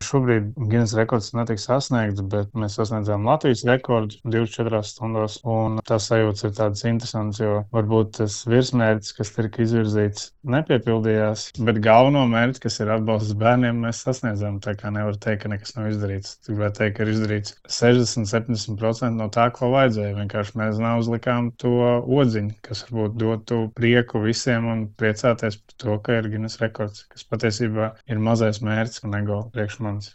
šobrīd Guinness rekords netika sasniegts, bet mēs sasniedzām Latvijas rekordu 24 stundās. Un tas sajūtas ir tādas interesantas, jo varbūt tas virsmērķis, kas tika izvirzīts, nepiepildījās, bet galveno mērķi, kas ir atbalsts bērniem, mēs sasniedzām. Tā kā nevar teikt, ka nekas nav izdarīts. Gribētu teikt, ka ir izdarīts 60-70% no tā, ko vajadzēja. Vienkārši mēs neuzlikām to odziņu, kas varbūt dotu prieku visiem un priecāties par to, ka ir Guinness rekords, kas patiesībā ir mazais mērķis un ego priekš manis.